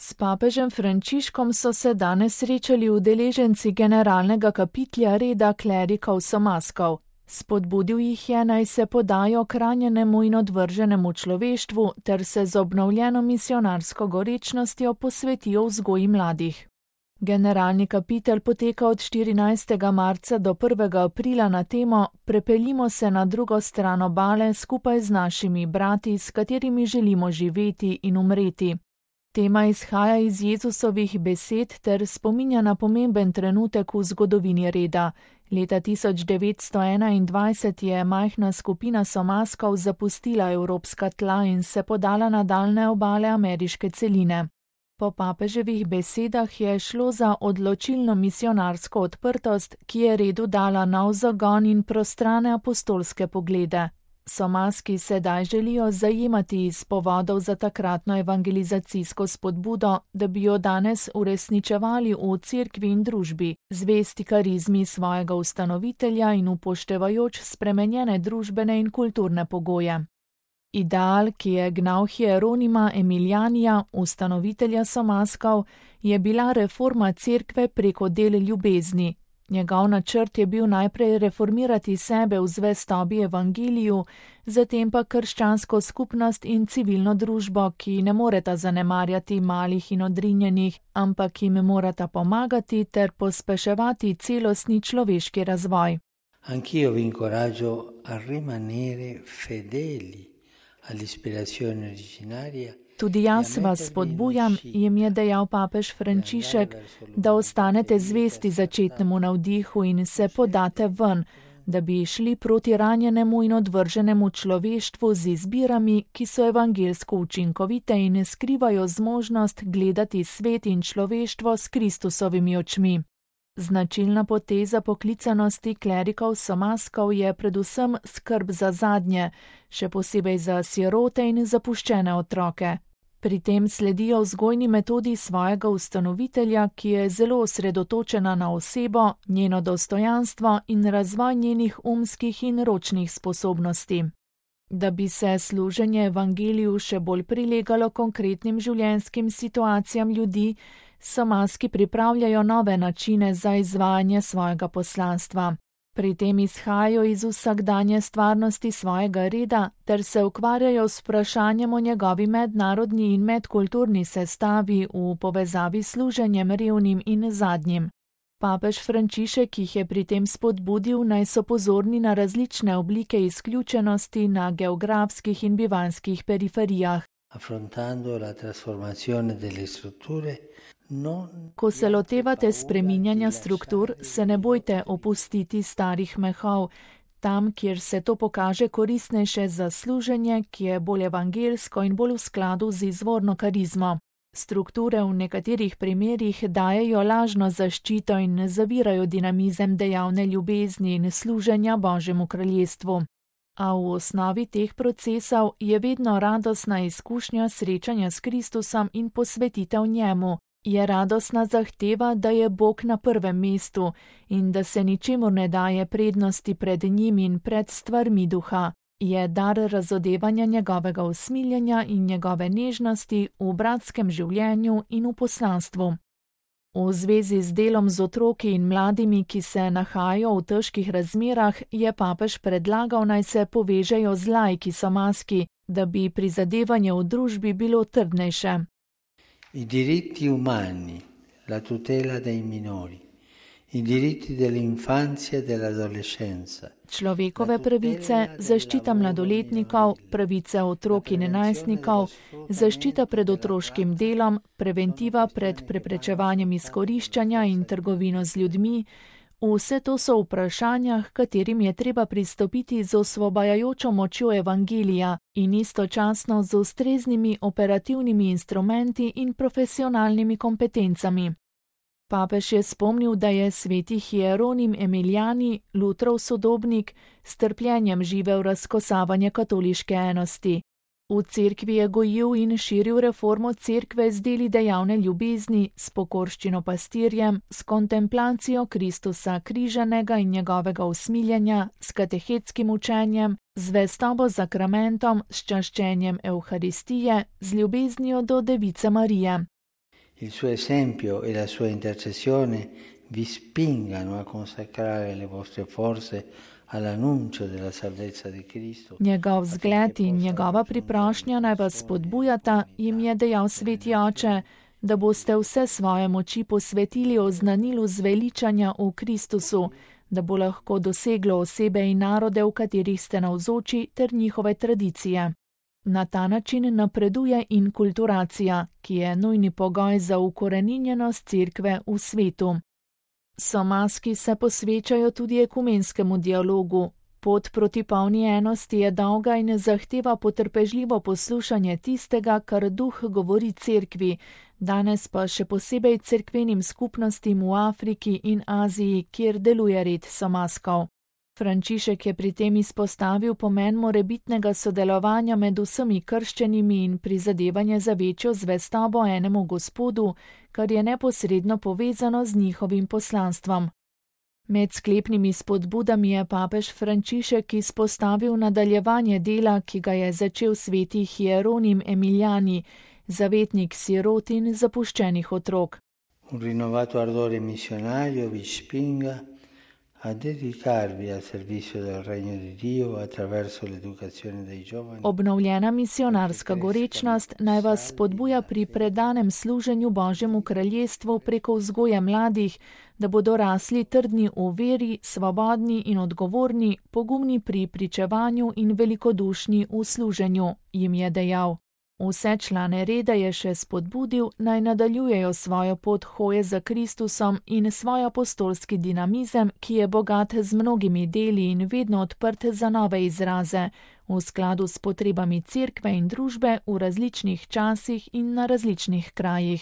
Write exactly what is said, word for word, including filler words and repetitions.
S papežem Frančiškom so se danes srečali udeleženci generalnega kapitlja reda klerikov Somaskov. Spodbudil jih je, naj se podajo k ranjenemu in odvrženemu človeštvu ter se z obnovljeno misionarsko gorečnostjo posvetijo vzgoji mladih. Generalni kapitel poteka od štirinajstega marca do prvega aprila na temo Prepeljimo se na drugo stran obale skupaj z našimi brati, s katerimi želimo živeti in umreti. Tema izhaja iz Jezusovih besed ter spominja na pomemben trenutek v zgodovini reda. Leta tisoč devetsto enaindvajset je majhna skupina Somaskov zapustila evropska tla in se podala na daljne obale ameriške celine. Po papeževih besedah je šlo za odločilno misionarsko odprtost, ki je redu dala nov zagon in prostrane apostolske poglede. Somaski sedaj želijo zajemati iz povodov za takratno evangelizacijsko spodbudo, da bi jo danes uresničevali v cerkvi in družbi, zvesti karizmi svojega ustanovitelja in upoštevajoč spremenjene družbene in kulturne pogoje. Ideal, ki je gnal Hieronima Emilijanija, ustanovitelja Somaskov, je bila reforma cerkve preko del ljubezni. Njegov načrt je bil najprej reformirati sebe v zvestobi evangeliju, zatem pa krščansko skupnost in civilno družbo, ki ne moreta zanemarjati malih in odrinjenih, ampak jim morata pomagati ter pospeševati celostni človeški razvoj. Anch'io vi incoraggio a rimanere fedeli all'ispirazione originaria. Tudi jaz vas spodbujam, jim je dejal papež Frančišek, da ostanete zvesti začetnemu navdihu in se podate ven, da bi šli proti ranjenemu in odvrženemu človeštvu z izbirami, ki so evangelsko učinkovite in skrivajo zmožnost gledati svet in človeštvo s Kristusovimi očmi. Značilna poteza poklicanosti klerikov Somaskov je predvsem skrb za zadnje, še posebej za sirote in zapuščene otroke. Pri tem sledijo vzgojni metodi svojega ustanovitelja, ki je zelo osredotočena na osebo, njeno dostojanstvo in razvoj njenih umskih in ročnih sposobnosti. Da bi se služenje evangeliju še bolj prilegalo konkretnim življenjskim situacijam ljudi, Somaski pripravljajo nove načine za izvajanje svojega poslanstva. Pri tem izhajajo iz vsakdanje stvarnosti svojega reda ter se ukvarjajo s vprašanjem o njegovi mednarodni in medkulturni sestavi v povezavi s služenjem revnim in zadnjim. Papež Frančišek jih je pri tem spodbudil, naj so pozorni na različne oblike izključenosti na geografskih in bivanjskih periferijah. Affrontando la trasformazione delle strutture. Ko se lotevate spreminjanja struktur, se ne bojte opustiti starih mehov, tam, kjer se to pokaže koristnejše za služenje, ki je bolj evangelsko in bolj v skladu z izvorno karizmo. Strukture v nekaterih primerjih dajejo lažno zaščito in ne zavirajo dinamizem dejavne ljubezni in služenja Božjemu kraljestvu. A v osnovi teh procesov je vedno radostna izkušnja srečanja s Kristusom in posvetitev njemu. Je radostna zahteva, da je Bog na prvem mestu in da se ničemur ne daje prednosti pred njim in pred stvarmi duha. Je dar razodevanja njegovega usmiljenja in njegove nežnosti v bratskem življenju in v poslanstvu. V zvezi z delom z otroki in mladimi, ki se nahajajo v težkih razmerah, je papež predlagal, naj se povežejo z laiki Somaski, da bi prizadevanje v družbi bilo trdnejše. I diritti umani, la tutela dei minori, i diritti dell'infanzia e dell'adolescenza. Človekove pravice, zaščita mladoletnikov, pravice otrok in najstnikov, zaščita pred otroškim delom, preventiva pred preprečevanjem izkoriščanja in trgovino z ljudmi, vse to so vprašanja, h katerim je treba pristopiti z osvobajajočo močjo evangelija in istočasno z ustreznimi operativnimi instrumenti in profesionalnimi kompetencami. Papež je spomnil, da je sveti Hieronim Emilijani, Lutrov sodobnik, s trpljenjem živel razkosavanje katoliške enosti. V cerkvi je gojil in širil reformo cerkve z deli dejavne ljubezni, s pokorščino pastirjem, s kontemplacijo Kristusa križanega in njegovega usmiljenja, s katehetskim učenjem, z zvestobo zakramentom, s čaščenjem Evharistije, z ljubeznijo do Device Marije. il suo esempio e la sua intercessione vi spingano a consacrare le vostre forze all'annuncio della salvezza di Cristo. Njegov zgled in njegova priprošnja naj vas spodbujata, jim je dejal sveti oče, da boste vse svoje moči posvetili oznanilu zveličanja v Kristusu, da bo lahko doseglo osebe in narode, v katerih ste navzoči, ter njihove tradicije. Na ta način napreduje inkulturacija, ki je nujni pogoj za ukoreninjenost cerkve v svetu. Somaski se posvečajo tudi ekumenskemu dialogu. Pot proti polni enosti je dolga in zahteva potrpežljivo poslušanje tistega, kar duh govori cerkvi, danes pa še posebej cerkvenim skupnostim v Afriki in Aziji, kjer deluje red somaskov. Frančišek je pri tem izpostavil pomen morebitnega sodelovanja med vsemi krščenimi in prizadevanje za večjo zvestobo enemu Gospodu, kar je neposredno povezano z njihovim poslanstvom. Med sklepnimi spodbudami je papež Frančišek izpostavil nadaljevanje dela, ki ga je začel sveti Hieronim Emiljani, zavetnik sirot in zapuščenih otrok. Un rinnovato ardore missionario vi spinga a dedicarvi al servizio del regno di Dio attraverso l'educazione dei giovani. Obnovljena misionarska gorečnost naj vas spodbuja pri predanem služenju Božjemu kraljestvu preko vzgoje mladih, da bodo rasli trdni v veri, svobodni in odgovorni, pogumni pri pričevanju in velikodušni v služenju, jim je dejal. Vse člane reda je še spodbudil, naj nadaljujejo svojo pot hoje za Kristusom in svoj apostolski dinamizem, ki je bogat z mnogimi deli in vedno odprt za nove izraze, v skladu s potrebami cerkve in družbe v različnih časih in na različnih krajih.